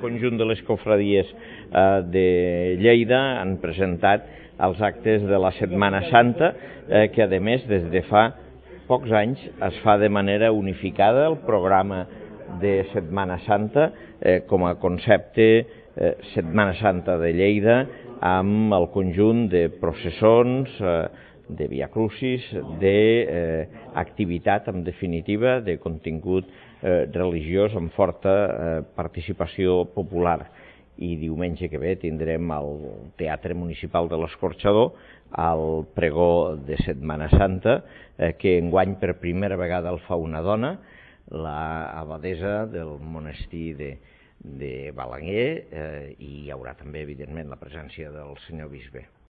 conjunt de les cofradies de Lleida han presentat els actes de la Setmana Santa, que a més des de fa pocs anys es fa de manera unificada el programa de Setmana Santa com a concepte Setmana Santa de Lleida, amb el conjunt de processons, de Via Crucis, d'activitat, en definitiva, de contingut religiós amb forta participació popular. I diumenge que ve tindrem al Teatre Municipal de l'Escorxador el pregó de Setmana Santa, que enguany per primera vegada el fa una dona, l'abadessa del monestir de Balaguer, i hi haurà també, evidentment, la presència del senyor bisbe.